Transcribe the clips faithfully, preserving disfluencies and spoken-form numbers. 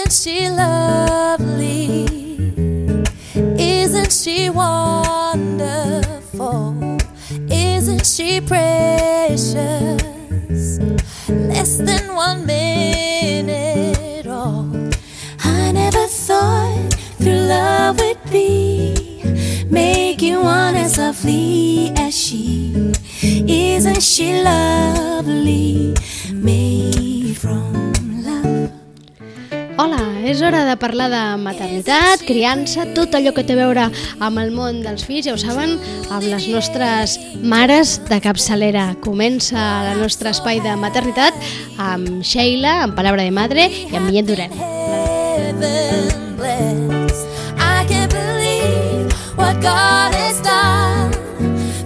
Isn't she lovely? Isn't she wonderful? Isn't she precious? Less than one minute old. I never thought through love would be make you one as lovely as she. Isn't she lovely? Made from love. Hola, és hora de parlar de maternitat, criança, tot allò que té a veure amb el món dels fills, ja ho saben, amb les nostres mares de capçalera. Comença el nostre espai de maternitat amb Sheila, amb Palabra de Madre, i amb Millet Duran. I can't believe what God has done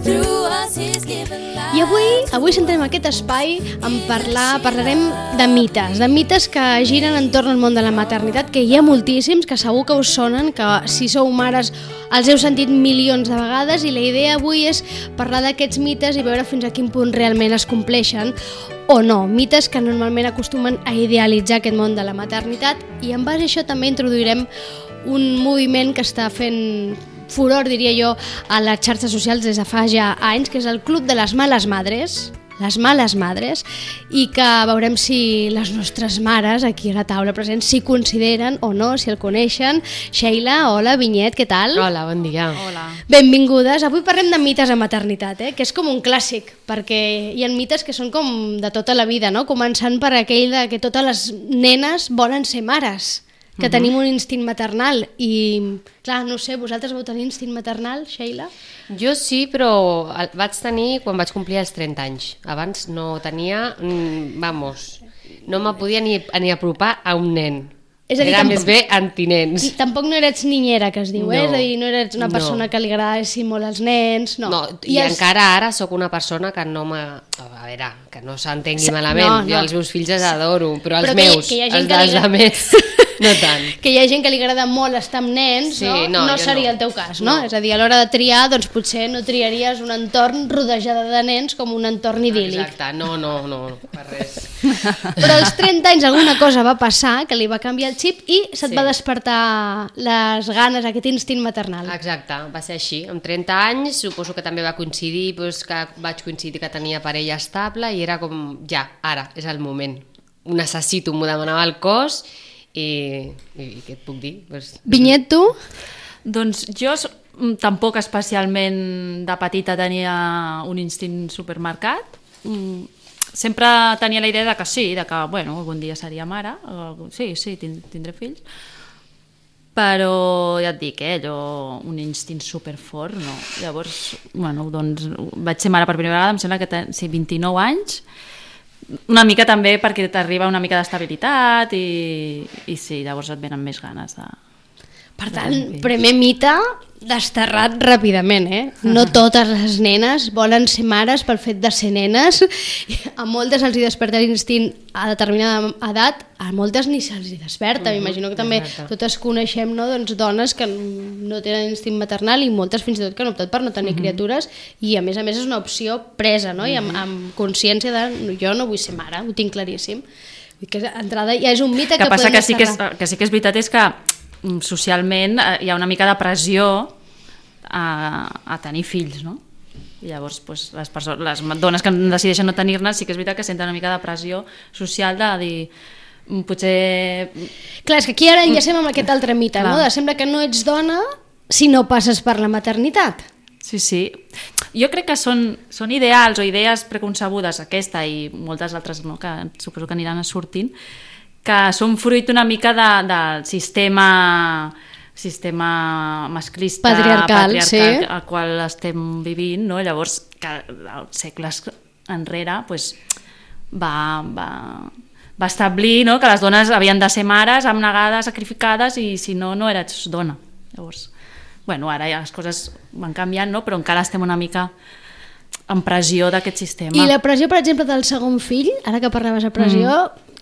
through us, He's given life. I avui, avui centrem aquest espai en parlar, parlarem de mites, de mites que giren entorn al món de la maternitat, que hi ha moltíssims, que segur que us sonen, que si sou mares els heu sentit milions de vegades, i la idea avui és parlar d'aquests mites i veure fins a quin punt realment es compleixen o no, mites que normalment acostumen a idealitzar aquest món de la maternitat, i en base a això també introduirem un moviment que està fent furor, diria jo, a les xarxes socials des de fa ja anys, que és el Club de les Males Madres, les Males Madres, i que veurem si les nostres mares, aquí a la taula presents, si consideren o no, si el coneixen. Sheila, hola, Vinyet, què tal? Hola, bon dia. Hola. Benvingudes. Avui parlem de mites de maternitat, eh? Que és com un clàssic, perquè hi ha mites que són com de tota la vida, no? Començant per aquell de que totes les nenes volen ser mares, que uh-huh. tenim un instint maternal, i clar, no sé, vosaltres vau tenir instint maternal, Sheila? Jo sí, però el vaig tenir quan vaig complir els trenta anys. Abans no tenia, vamos, no me podia ni, ni apropar a un nen. És a dir, Era tampoc, més bé antinens. Tampoc no eres niñera, que es diu, No, eh? És a dir, no eres una no. persona que li agradessi molt als nens, no. No, i els... encara ara sóc una persona que no m'ha... A veure, que no s'entengui Sí, malament, no, no. jo els meus fills els adoro, però els Però que hi- meus, que hi ha gent els que li dels agrada- altres, no tant. Que hi ha gent que li agrada molt estar amb nens, Sí, no? no, No jo seria no. el teu cas, no? No. És a dir, a l'hora de triar, doncs potser no triaries un entorn rodejada de nens com un entorn idíl·lic. Exacte, no, no, no, per res. Però als trenta anys alguna cosa va passar que li va canviar el xip i se't Sí. va despertar les ganes, aquest instint maternal. Exacte, va ser així. Amb trenta anys suposo que també va coincidir, doncs, que vaig coincidir que tenia parella estable i era com, ja, ara, és el moment. Ho necessito, m'ho demanava el cos i, i, i què et puc dir? Pues, Vinyet, tu? Doncs jo s- mm, tampoc especialment de petita tenia un instint supermarcat. Mm, Sempre tenia la idea de que sí, de que bueno, algun dia seria mare, o- sí, sí, tin- tindré fills, però ja et dic, eh, allò, un instint superfort, no. Llavors, bueno, doncs vaig ser mare per primera vegada, em sembla que ten, sí, vint-i-nou anys, una mica també perquè t'arriba una mica d'estabilitat i, i sí, llavors et venen més ganes de... Per tant, primer mite desterrat ràpidament, eh? No totes les nenes volen ser mares pel fet de ser nenes. A moltes els hi desperta l'instint a determinada edat, a moltes ni se'ls hi desperta. M'imagino que també exacte. totes coneixem, no, doncs, dones que no tenen instint maternal i moltes fins i tot que han optat per no tenir criatures, i a més a més és una opció presa, no? I amb, amb consciència de jo no vull ser mare, ho tinc claríssim. Vull dir que d'entrada ja és un mite que, que passa podem que sí que, és, desterrar. que sí que és veritat és que mm, socialment eh, hi ha una mica de pressió a, a tenir fills, no? I llavors pues, les, persones, les dones que decideixen no tenir-ne sí que és veritat que senten una mica de pressió social de dir mm, potser... Clar, és que aquí ara enllacem amb aquest altre mite, Clar. no? De sembla que no ets dona si no passes per la maternitat. Sí, sí. Jo crec que són, són ideals o idees preconcebudes, aquesta i moltes altres, no, que suposo que aniran sortint, que són fruit una mica de, del sistema sistema masclista, Patriarcal, patriarcal sí. al qual estem vivint, no? Llavors, que segles enrere pues, va, va, va establir, no? Que les dones havien de ser mares, abnegades, sacrificades, i si no, no eres dona. Llavors, bueno, ara ja les coses van canviant, no? Però encara estem una mica en pressió d'aquest sistema. I la pressió, per exemple, del segon fill, ara que parlaves de pressió,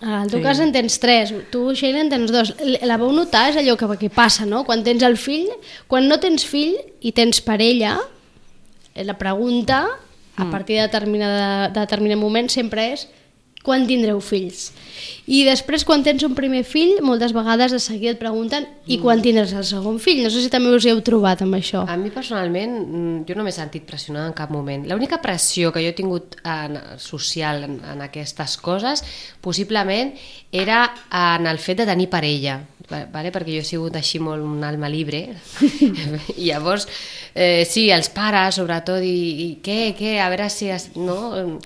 mm. al teu Sí. cas en tens tres, tu, Sheila, en tens dos. La vau notar, és allò que, que passa, no? Quan tens el fill, quan no tens fill i tens parella, la pregunta, a partir de determinada, de determinat moment, sempre és quan tindreu fills? I després, quan tens un primer fill, moltes vegades de seguida et pregunten i quan tindràs el segon fill? No sé si també us hi heu trobat amb això. A mi personalment, mm, jo no m'he sentit pressionada en cap moment. L'única pressió que jo he tingut en, social en, en aquestes coses, possiblement, era en el fet de tenir parella, vale? Perquè jo he sigut així molt un alma libre. I llavors, eh, sí, els pares, sobretot, i, i què, què, a veure si... Es, no...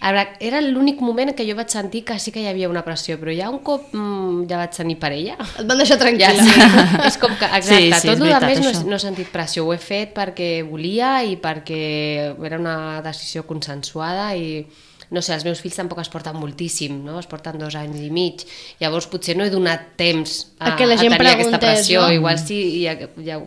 A veure, era l'únic moment en què jo vaig sentir que sí que hi havia una pressió, però ja un cop mmm, ja vaig tenir parella... Et van deixar tranquil·la. Ja, sí. És com que, exacte, Sí, sí, tot és el veritat, més no, això. no he sentit pressió, ho he fet perquè volia i perquè era una decisió consensuada i no sé, els meus fills tampoc es porten moltíssim, no? Es porten dos anys i mig, llavors potser no he donat temps a, A que la gent a tenir aquesta preguntés, pressió, no? igual sí hi, ha, hi, ha,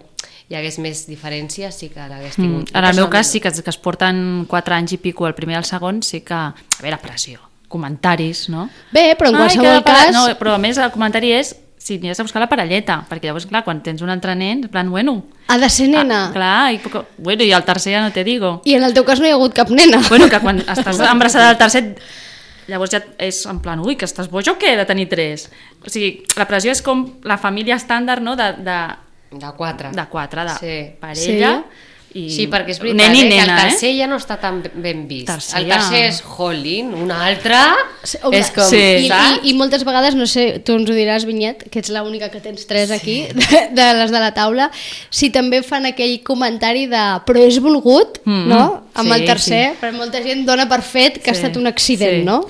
hi hagués més diferències, sí que l'hagués tingut. Mm. En el meu cas sí que, que es porten quatre anys i pico el primer i el segon, sí que... A veure, pressió, comentaris, no? Bé, però en Ai, qualsevol que la pare- cas... No, però a més el comentari és si anies a buscar la parelleta, perquè llavors, clar, quan tens un altre nen, en plan, bueno... Ha de ser nena. Ah, clar, i, poco- bueno, i el tercer ja no te digo. I en el teu cas no hi ha hagut cap nena. Bueno, que quan estàs embarassada del tercer, llavors ja és en plan, ui, que estàs boja o què, de tenir tres? O sigui, la pressió és com la família estàndard, no?, de, de, De quatre. de quatre, de Sí. parella... I Sí, perquè és veritat, nen i eh, que nena, el tercer eh? ja no està tan ben vist. Tercer el tercer ja- és Holling, un altre Home, és com... sí. I, i, saps? I moltes vegades, no sé, tu ens ho diràs, Vinyet, que ets l'única que tens tres aquí, de, de les de la taula, si també fan aquell comentari de però és volgut, Mm, no? Amb sí, el tercer, sí. però molta gent dona per fet que ha Sí, estat un accident, sí. no?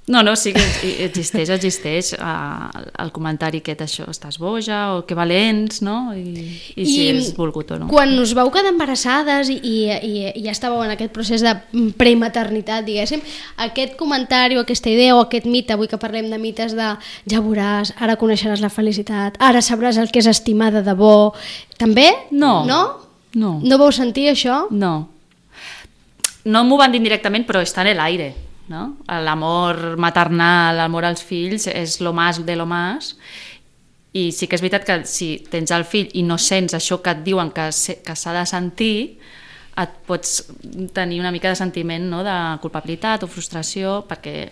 No, no, sí que existeix, existeix uh, el comentari aquest, això, estàs boja, o que valents, no? I, i si és volgut o no. Quan us vau quedar embarassades i, i, i, i ja estàveu en aquest procés de prematernitat, diguéssim, aquest comentari o aquesta idea o aquest mite, avui que parlem de mites de ja veuràs, ara coneixeràs la felicitat, ara sabràs el que és estimar de debò, també? No. No? No. No vau sentir això? No. No m'ho van dir directament, però està en l'aire, no? L'amor maternal, l'amor als fills és lo más de lo más, i sí que és veritat que si tens el fill i no sents això que et diuen que, se, que s'ha de sentir, et pots tenir una mica de sentiment, no?, de culpabilitat o frustració, perquè,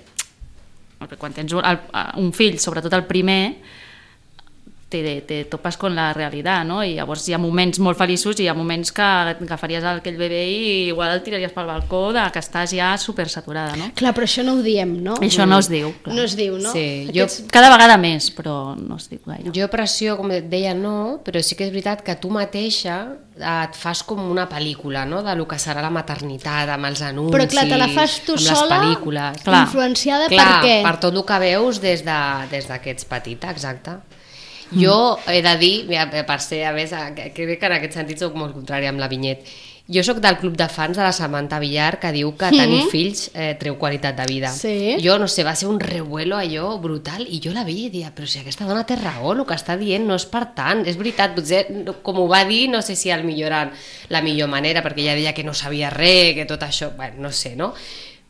perquè quan tens un, el, un fill, sobretot el primer, te, te topes con la realitat, no? I llavors hi ha moments molt feliços i hi ha moments que agafaries aquell bebè i igual el tiraries pel balcó de que estàs ja supersaturada, no? Clar, però això no ho diem, no? Això no es diu, clar. No es diu, no? Sí, jo- Aquests... Cada vegada més, però no es diu gaire. Jo pressió, com et deia, no, però sí que és veritat que tu mateixa et fas com una pel·lícula, no?, de lo que serà la maternitat, amb els anuncis, Però clar, te la fas tu amb sola, les pel·lícules. Clar. influenciada Clar, per què? per tot el que veus des de, des de que ets petita, exacte. Jo he de dir, mira, per ser, a més, que crec que en aquest sentit soc molt contrari amb la Vinyet. Jo sóc del club de fans de la Samantha Villar, que diu que tenir Mhm. fills eh, treu qualitat de vida. Sí. Jo, no sé, va ser un revuelo allò brutal, i jo la veia i dia, però si aquesta dona té raó, el que està dient no és per tant, és veritat, potser, com ho va dir, no sé si al millor era la millor manera, perquè ella deia que no sabia res, que tot això, bueno, no sé, no?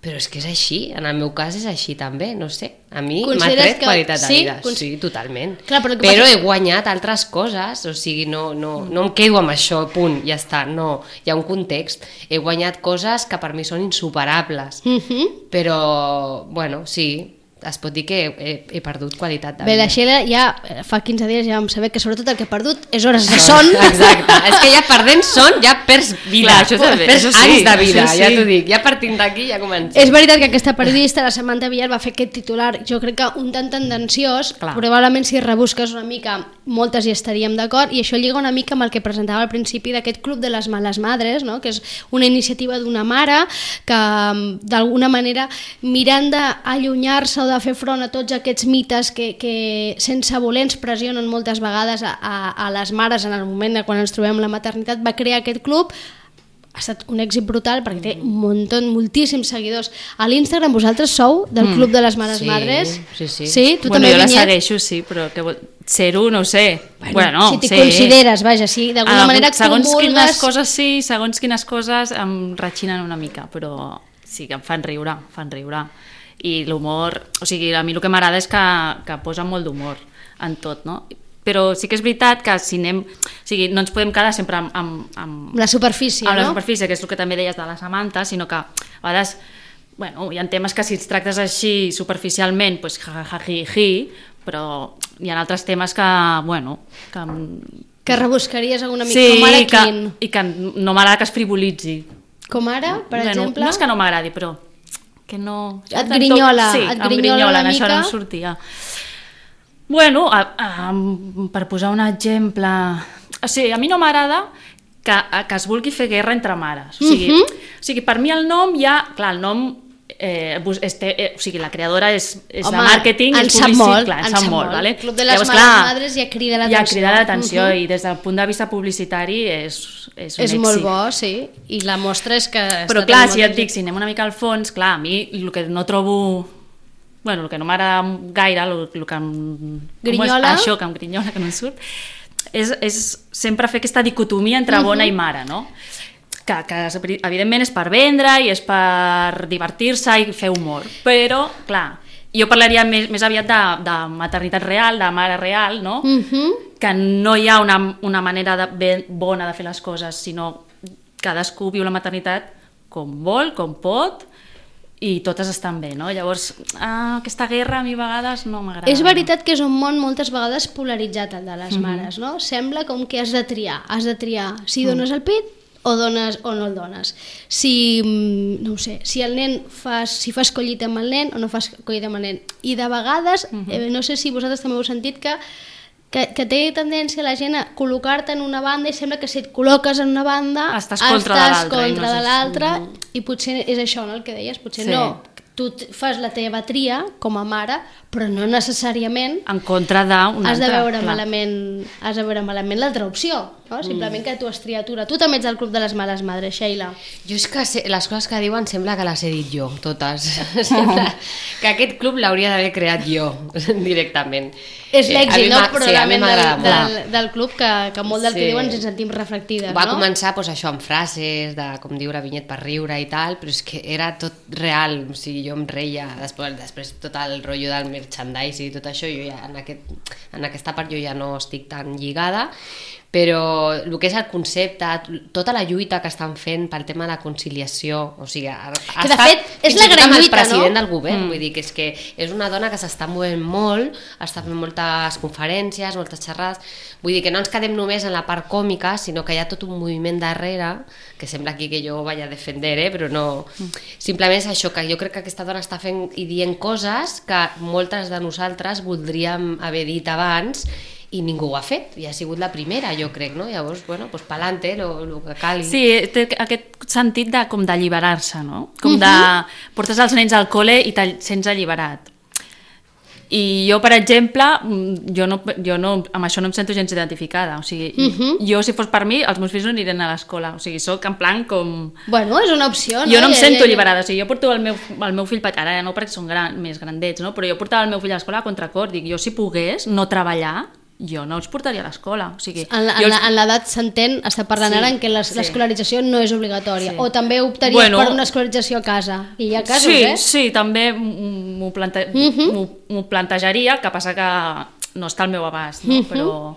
Però és que és així, en el meu cas és així també, no sé, a mi m'ha Consideres tret que- qualitat de sí? vida, Cons- sí, totalment. Clar, però el que però passa- he guanyat altres coses, o sigui, no, no, no em quedo amb això, punt, ja està, no, hi ha un context. He guanyat coses que per mi són insuperables, Mhm. però, bueno, sí, es pot dir que he, he perdut qualitat de Bé, vida. la Sheila ja eh, fa quinze dies ja vam saber que sobretot el que ha perdut és hores de son. Exacte, és que ja perdent son ja perds vida, Clar, això també, perds això sí, anys de vida, això sí. ja t'ho dic, ja partint d'aquí ja comencem. És veritat que aquesta periodista, la Samantha Villar, va fer aquest titular, jo crec que un tant tendenciós, Clar. probablement si rebusques una mica, moltes hi estaríem d'acord, i això lliga una mica amb el que presentava al principi d'aquest Club de les Males Madres, no? Que és una iniciativa d'una mare que, mm, d'alguna manera, mirant d'allunyar-se o de fer front a tots aquests mites que, que sense voler ens pressionen moltes vegades a, a, a les mares en el moment de quan ens trobem la maternitat, va crear aquest club. Ha estat un èxit brutal perquè té un muntó, moltíssims seguidors. A l'Instagram vosaltres sou del Club de les Mares Sí, Madres? sí, sí. Sí, tu bueno, també, jo la Vinyet? segueixo, sí, però que vol... ser-ho, no ho sé. Bueno, no, si t'hi sé. consideres, vaja, si d'alguna Ah, manera segons comulgues... quines coses sí, segons quines coses em ratxinen una mica, però sí que em fan riure, em fan riure. I l'humor, o sigui, a mi el que m'agrada és que, que posa molt d'humor en tot, no? Però sí que és veritat que si anem... O sigui, no ens podem quedar sempre amb... amb, amb La superfície, amb la no? superfície, que és el que també deies de la Samantha, sinó que a vegades bueno, hi ha temes que si els tractes així superficialment, pues, ja, ja, ja, ja, però hi ha altres temes que, bueno... Que, que rebuscaries alguna mica, sí, com ara que, quin? i que no m'agrada que es frivolitzi. Com ara, per bueno, exemple? No és que no m'agradi, però que no... Et grinyola, sí, et em grinyola una en mica? Això no em sortia. Bueno, a, a, per posar un exemple... O sigui, a mi no m'agrada que, que es vulgui fer guerra entre mares. O sigui, uh -huh. o sigui per mi el nom ja... Clar, el nom... Eh, este, eh, o sigui, la creadora és, és Home, de màrqueting, en és sap publicitat, molt, clar, en en sap sap molt, molt. vale? El Club de les Llavors, Males clar, Madres ja crida l'atenció. Ja crida l'atenció uh -huh. i des del punt de vista publicitari és, és un és èxit. molt bo, sí, i la mostra és que... Però està clar, tenint si molt et dic, si anem una mica al fons, clar, a mi el que no trobo... Bueno, el que no m'agrada gaire, el, el que em... Grinyola? És, això, que em grinyola, que no em surt, és, és sempre fer aquesta dicotomia entre bona uh -huh. i mare, no? Que, que evidentment és per vendre i és per divertir-se i fer humor, però, clar, jo parlaria més, més aviat de, de maternitat real, de mare real, no? Uh -huh. Que no hi ha una, una manera de, ben, bona de fer les coses, sinó cadascú viu la maternitat com vol, com pot, i totes estan bé, no? Llavors, ah, aquesta guerra a mi a vegades no m'agrada. És veritat que és un món moltes vegades polaritzat, el de les Mhm. mares, no? Sembla com que has de triar, has de triar si dones el pit o dones o no el dones. Si, mm, no ho sé, si el nen fas, si fas collita amb el nen o no fas collita amb el nen. I de vegades, eh, no sé si vosaltres també heu sentit que que, que té tendència la gent a col·locar-te en una banda i sembla que si et col·loques en una banda Estàs contra de estàs l'altra i contra no de és- l'altra Mhm. i potser és això, no, el que deies, potser Sí. no, tu t- fas la teva tria com a mare, però no necessàriament En contra d'una has de altra, veure clar. malament, has de veure malament l'altra opció, no? Simplement que tu has triat una. Tu també ets del Club de les Males Madres, Sheila. Jo és que sé, les coses que diuen sembla que les he dit jo, totes. Sembla que aquest club l'hauria d'haver creat jo, directament. És Eh, a l'èxit, mi no? m'ha- sí, a mi Probablement m'agrada del, molt. del, del club que, que molt del Sí. que diuen ens en sentim reflectides, Va no? començar pues, això amb frases de com diure Vinyet per riure i tal, però és que era tot real, o sigui, jo em reia després, després tot el rotllo del merchandise i tot això, jo ja en, aquest, en aquesta part jo ja no estic tan lligada, però el que és el concepte, tota la lluita que estan fent pel tema de la conciliació, o sigui, ha, ha Que, de estat fet, és fins la i tot gran amb el lluita, no? president del govern, Mm. vull dir que és que és una dona que s'està movent molt, està fent moltes conferències, moltes xerrades, vull dir que no ens quedem només en la part còmica, sinó que hi ha tot un moviment darrere, que sembla aquí que jo vaig a defender, eh? Però no... Simplement és això, que jo crec que aquesta dona està fent i dient coses que moltes de nosaltres voldríem haver dit abans i ningú ho ha fet, i ha sigut la primera, jo crec, no? Llavors, bueno, pues pa'lante, lo, lo que calgui. Sí, té aquest sentit de, com d'alliberar-se, no? Com de... Portes els nens al col·le i te'l sents alliberat. I jo, per exemple, jo, no, jo no, amb això no em sento gens identificada. O sigui, uh -huh. jo, si fos per mi, els meus fills no anirien a l'escola. O sigui, soc en plan com... Bueno, és una opció, no? Jo no em Ja- sento ja- alliberada, o sigui, jo porto el meu, el meu fill, ara ja no perquè són gran, més grandets, no? Però jo portava el meu fill a l'escola a contracor, dic, jo si pogués no treballar, jo no els portaria a l'escola, o sigui... En la- jo en els- la- en l'edat s'entén, està parlant Sí, ara en què les- sí. l'escolarització no és obligatòria, Sí. o també optaries Bueno, per una escolarització a casa, i hi ha casos, sí, eh? sí, també m'ho plante... Uh -huh. m'ho- m'ho plantejaria, el que passa que no està al meu abast, no? Uh -huh. Però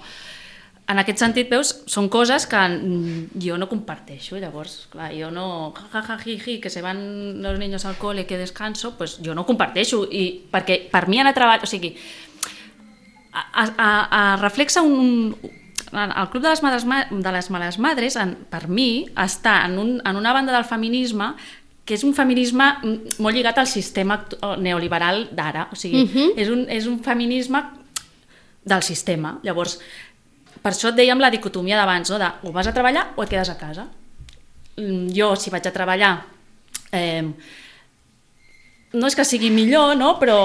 en aquest sentit, veus, són coses que mm, jo no comparteixo, llavors, clar, jo no... Ja, ja, ji, ji, que se van los niños al cole, que descanso, pues jo no comparteixo, i perquè per mi anar a treballar, o sigui, a, a, a reflexa un, el Club de les Males, de les Males Madres, en, per mi, està en, un, en una banda del feminisme que és un feminisme molt lligat al sistema neoliberal d'ara, o sigui, uh -huh. és, un, és un feminisme del sistema. Llavors, per això et dèiem la dicotomia d'abans, no? De o vas a treballar o et quedes a casa. Jo, si vaig a treballar, eh, no és que sigui millor, no? Però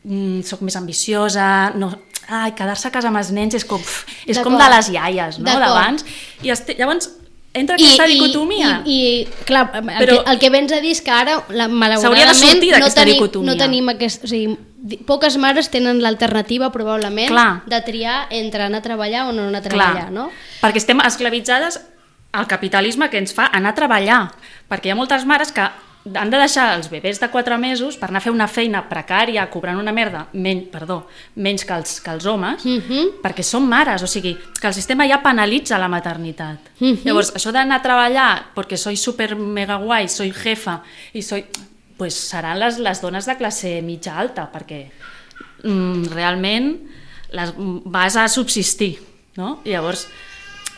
mm, soc més ambiciosa, no, ai, quedar-se a casa amb els nens és com, és com de les iaies, no? D'abans. I este, llavors entra aquesta I, dicotomia. I, i, i clar, el, Però que, el que vens a dir és que ara, la, s'hauria de malauradament, sortir no, d'aquesta tenim, dicotomia. no tenim aquest... O sigui, di- poques mares tenen l'alternativa, probablement, Clar. de triar entre anar a treballar o no anar a treballar, Clar, no? perquè estem esclavitzades al capitalisme que ens fa anar a treballar, perquè hi ha moltes mares que han de deixar els bebès de quatre mesos per anar a fer una feina precària, cobrant una merda, men, perdó, menys que els, que els homes, Uh -huh. perquè són mares, o sigui, que el sistema ja penalitza la maternitat. Mhm. Llavors, això d'anar a treballar perquè soy super mega guai, soy jefa, i soy... pues, seran les, les dones de classe mitja alta, perquè mm, realment les, vas a subsistir, no? I llavors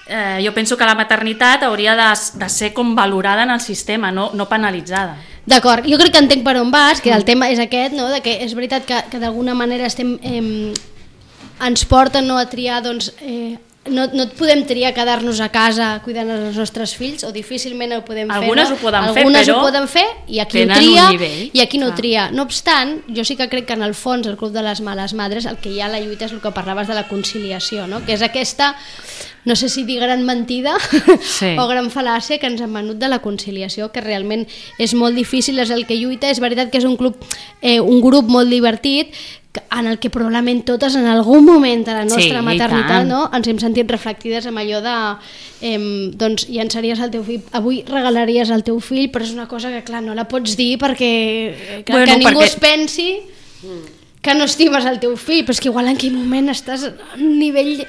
eh, jo penso que la maternitat hauria de, de ser com valorada en el sistema, no, no penalitzada. D'acord, jo crec que entenc per on vas, que el tema és aquest, no? De que és veritat que, que d'alguna manera estem, eh, ens porten, no, a triar, doncs, eh, no, no et podem triar quedar-nos a casa cuidant els nostres fills, o difícilment ho podem algunes fer, no? Ho poden algunes fer, ho poden fer i aquí ho tria i aquí no ho tria. No obstant, jo sí que crec que en el fons el Club de les Males Madres el que hi ha a la lluita és el que parlaves de la conciliació, no? Que és aquesta, no sé si dir gran mentida sí. o gran fal·làcia que ens han venut de la conciliació, que realment és molt difícil, és el que lluita. És veritat que és un club, eh, un grup molt divertit, en el que probablement totes en algun moment de la nostra sí, maternitat, no, ens hem sentit reflectides amb allò de eh, doncs llançaries el teu fill, avui regalaries el teu fill, però és una cosa que clar no la pots dir perquè que, bueno, que ningú perquè... es pensi que no estimes el teu fill, però és que igual en aquell moment estàs a un nivell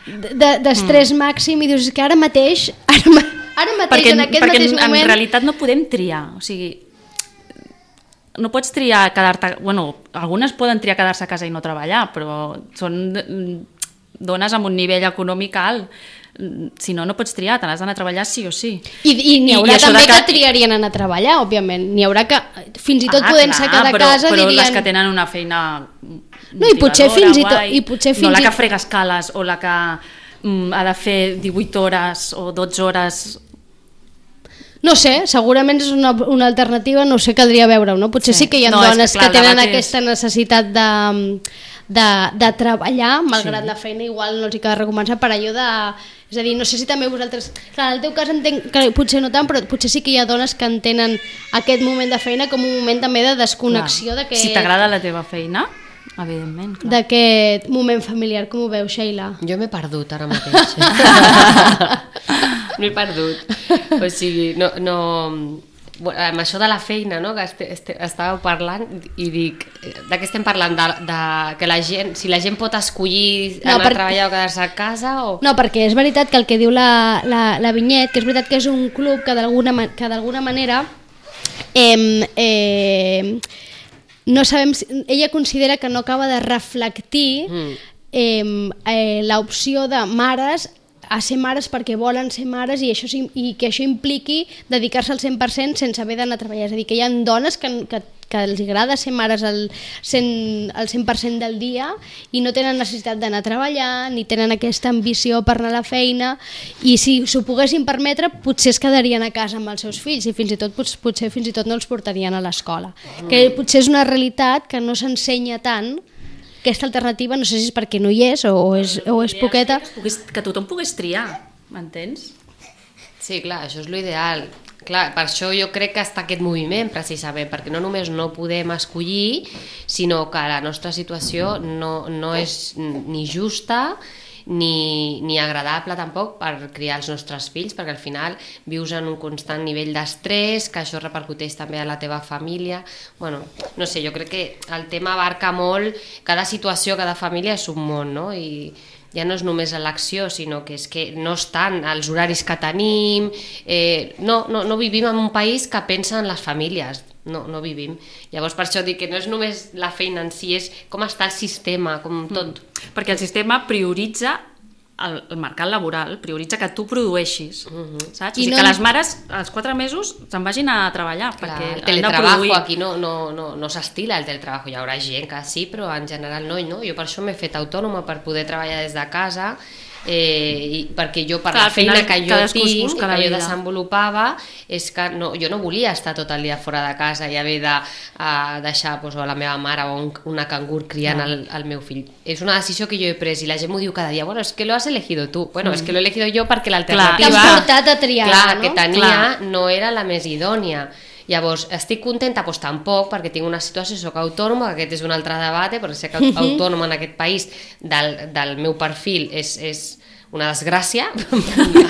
d'estrès de, mm. màxim i dius que ara mateix ara, ara mateix perquè, en aquest perquè mateix en, moment en realitat no podem triar, o sigui no pots triar quedar-te... Bueno, algunes poden triar quedar-se a casa i no treballar, però són dones amb un nivell econòmic alt. Si no, no pots triar, te n'has d'anar a treballar sí o sí. I, i n'hi haurà I, i també que... que triarien anar a treballar, òbviament. N'hi haurà que, fins i tot ah, podent-se quedar a casa, però dirien... les que tenen una feina no, i potser fins i tot... I potser fins no la i... que frega escales o la que mm, ha de fer divuit hores o dotze hores... No sé, segurament és una, una alternativa, no sé, caldria veure-ho, no? Potser sí, sí que hi ha no, dones que, clar, que tenen aquesta és... necessitat de, de, de treballar, malgrat sí. la feina igual no els hi queda recomençar per allò de... És a dir, no sé si també vosaltres... Clar, en el teu cas entenc que potser no tant, però potser sí que hi ha dones que entenen aquest moment de feina com un moment també de desconnexió. Clar. Que... Si t'agrada la teva feina, evidentment. Clar. D'aquest moment familiar, com ho veus, Sheila? Jo m'he perdut ara mateix. M'he perdut. O sigui, no... no... amb això de la feina, no? Que este, este, estàveu parlant i dic, de què estem parlant? De, de que la gent, si la gent pot escollir no, anar per... a treballar o quedar-se a casa o... No, perquè és veritat que el que diu la, la, la Vinyet, que és veritat que és un club que d'alguna que d'alguna manera eh, eh, no sabem, ella considera que no acaba de reflectir mm. eh, eh, l'opció de mares a ser mares perquè volen ser mares i, això, i que això impliqui dedicar-se al cent per cent sense haver d'anar a treballar. És a dir, que hi ha dones que, que, que els agrada ser mares al cent, al cent per cent del dia i no tenen necessitat d'anar a treballar ni tenen aquesta ambició per anar a la feina i si s'ho poguessin permetre potser es quedarien a casa amb els seus fills i fins i tot potser fins i tot no els portarien a l'escola. Mm. Que potser és una realitat que no s'ensenya tant. Aquesta alternativa, no sé si és perquè no hi és o és, o és poqueta. Que, pogués, que tothom pogués triar, m'entens? Sí, clar, això és l'ideal. Clar, per això jo crec que està aquest moviment, precisament, perquè no només no podem escollir, sinó que la nostra situació no, no és ni justa ni, ni agradable tampoc per criar els nostres fills, perquè al final vius en un constant nivell d'estrès, que això repercuteix també a la teva família. Bueno, no sé, jo crec que el tema abarca molt, cada situació, cada família és un món, no? I ja no és només l'acció, sinó que és que no estan els horaris que tenim, eh, no, no, no vivim en un país que pensa en les famílies, no, no vivim. Llavors per això dic que no és només la feina en si, és com està el sistema, com tot. Mm. Perquè el sistema prioritza el, el mercat laboral, prioritza que tu produeixis, uh-huh. saps? O sigui, no... que les mares als quatre mesos se'n vagin a treballar. Clar, perquè el teletrabajo aquí no, no, no, no s'estila, el teletrabajo. Hi haurà gent que sí, però en general no, no. Jo per això m'he fet autònoma, per poder treballar des de casa, eh, i perquè jo per clar, la feina que jo tinc, que jo desenvolupava, és que no, jo no volia estar tot el dia fora de casa i haver de uh, deixar pues, a la meva mare o un, una cangur criant no. el, el meu fill. És una decisió que jo he pres i la gent m'ho diu cada dia, bueno, és que lo has elegido tu. Bueno, mm. és que lo he elegido jo perquè l'alternativa t'has portat a triar, clar, no? que tenia clar. no era la més idònia. Llavors, estic contenta? Doncs tampoc, perquè tinc una situació, soc autònoma, aquest és un altre debat, perquè ser autònoma en aquest país del, del meu perfil és, és una desgràcia,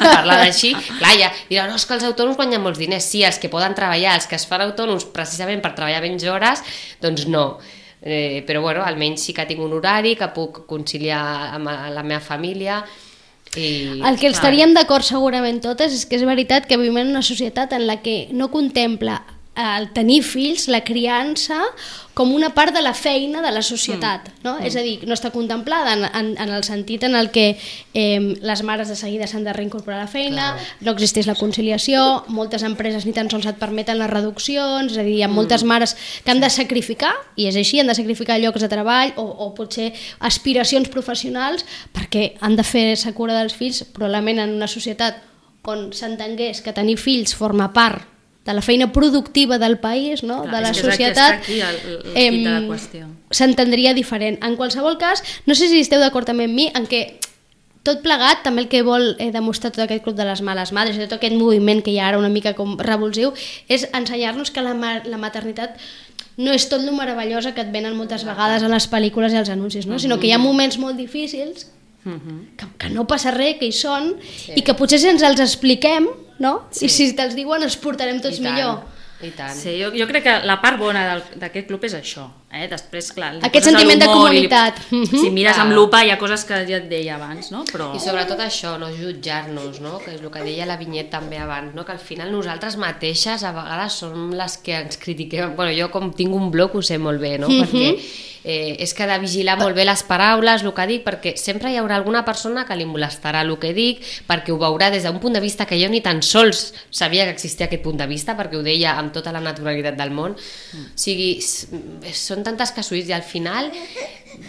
parlar d'així. Clar, ja diran, no, és que els autònoms guanyen molts diners. Sí, els que poden treballar, els que es fan autònoms precisament per treballar menys hores, doncs no. Eh, però bueno, almenys sí que tinc un horari, que puc conciliar amb la meva família. I, el que estaríem d'acord segurament totes és que és veritat que vivim en una societat en la que no contempla el tenir fills, la criança, com una part de la feina de la societat, no? Mm. És a dir, no està contemplada en, en, en el sentit en el que eh, les mares de seguida s'han de reincorporar a la feina, clar. No existeix la conciliació, moltes empreses ni tan sols et permeten les reduccions, és a dir, hi ha moltes mares que han de sacrificar, i és així, han de sacrificar llocs de treball o, o potser aspiracions professionals perquè han de fer-se cura dels fills, probablement en una societat on s'entengués que tenir fills forma part de la feina productiva del país, no? Clar, de la societat, eh, s'entendria diferent. En qualsevol cas, no sé si esteu d'acord també amb mi en què tot plegat, també el que vol eh, demostrar tot aquest club de les males madres i tot aquest moviment que hi ha ara una mica com revulsiu, és ensenyar-nos que la, ma la maternitat no és tot lo meravellosa que et venen moltes vegades a les pel·lícules i als anuncis, no? Sinó que hi ha moments molt difícils que, que no passa res, que hi són, sí. I que potser si ens els expliquem, no? Sí. I si te'ls diuen els portarem tots millor. I tant. Sí, jo, jo crec que la part bona d'aquest club és això. Eh? Després, clar, aquest sentiment de comunitat. Li, si mires amb lupa hi ha coses que ja et deia abans, no? Però... I sobretot això, no jutjar-nos, no? Que és el que deia la Vinyet també abans, no? Que al final nosaltres mateixes a vegades som les que ens critiquem. Bueno, jo com tinc un blog ho sé molt bé, no? Perquè eh, és que he de vigilar molt bé les paraules, el que dic, perquè sempre hi haurà alguna persona que li molestarà el que dic, perquè ho veurà des d'un punt de vista que jo ni tan sols sabia que existia aquest punt de vista, perquè ho deia amb tota la naturalitat del món. Mm. O sigui, són tantes casuïs i al final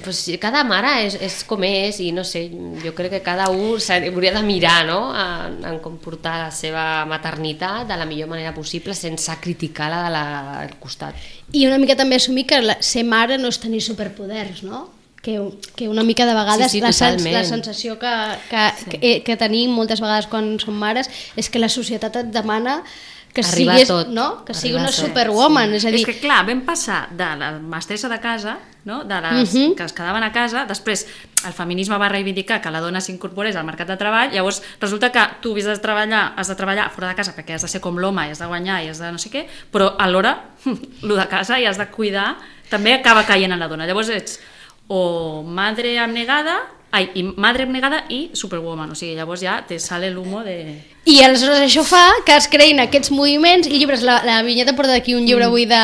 pues, cada mare és, és com és i no sé, jo crec que cada un hauria de mirar, no? en, en com portar la seva maternitat de la millor manera possible sense criticar-la de la, del costat. I una mica també assumir que la, ser mare no és tenir superpoders, no? Que, que una mica de vegades sí, sí, la, sens, la sensació que, que, sí. que, que tenim moltes vegades quan som mares és que la societat et demana que siguis, tot. No? Que sigui una superwoman, sí. És a dir... És que clar, vam passar de la mestressa de casa, no? De les uh -huh. que es quedaven a casa, després el feminisme va reivindicar que la dona s'incorporés al mercat de treball, llavors resulta que tu has de treballar, has de treballar fora de casa perquè has de ser com l'home i has de guanyar i has de no sé què, però alhora el de casa i has de cuidar també acaba caient en la dona, llavors ets o madre abnegada Ai, i madre abnegada i superwoman, o sigui, llavors ja te sale l'humo de... I aleshores això fa que es creïn aquests moviments i llibres, la, la Vinyeta porta d'aquí un llibre mm. avui de,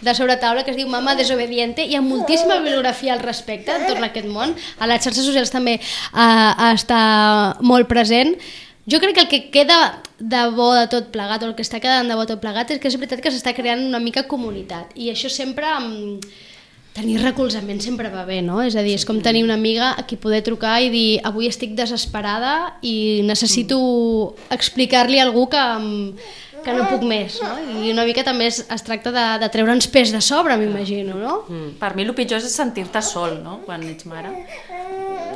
de sobretaula que es diu Mama desobediente, hi ha moltíssima bibliografia al respecte en tot aquest món, a les xarxes socials també uh, està molt present. Jo crec que el que queda de bo de tot plegat, o el que està quedant de bo de tot plegat, és que és veritat que s'està creant una mica comunitat, i això sempre... Um, tenir recolzament sempre va bé, no? És a dir, és com tenir una amiga a qui poder trucar i dir avui estic desesperada i necessito explicar-li a algú que, que no puc més, no? I una mica també es, es tracta de, de treure'ns pes de sobre, m'imagino, no? Mm. Per mi el pitjor és sentir-te sol, no? Quan ets mare.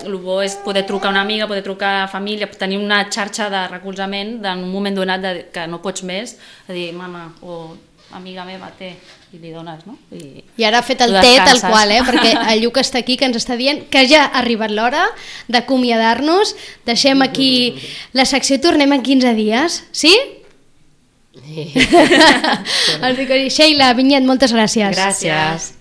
El bo és poder trucar a una amiga, poder trucar a família, tenir una xarxa de recolzament en un moment donat de, que no pots més, a dir, mama, o amiga meva, té, i li dones, no? I, I ara ha fet el té tal qual, eh? Perquè el Lluc està aquí que ens està dient que ja ha arribat l'hora d'acomiadar-nos. Deixem aquí la secció i tornem en quinze dies, sí? Sí. Sheila, Vinyet, moltes gràcies. Gràcies.